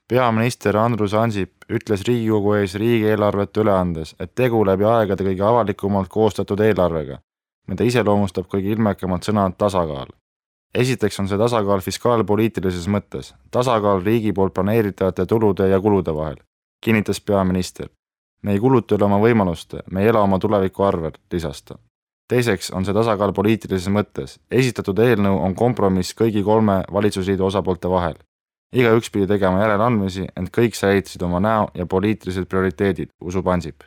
Peaminister Andrus Ansip ütles Riigikogu ees riigieelarvet üle andes, et tegu läbi aegade kõige avalikumalt koostatud eelarvega, mida iseloomustab kõige ilmekamalt sõna tasakaal. Esiteks on see tasakaal fiskaalpoliitilises mõttes, tasakaal riigi poolt planeeritavate tulude ja kulude vahel, kinnitas peaminister. Me ei kuluta üle oma võimaluste, me ei ela oma tuleviku arvel, lisas ta. Teiseks on see tasakaal poliitilises mõttes. Esitatud eelnõu on kompromiss kõigi 3 valitsusliidu osapoolte vahel. Igaüks pidi tegema järeleandmisi, ent kõik säilitasid oma näo ja poliitilised prioriteedid, usub Ansip.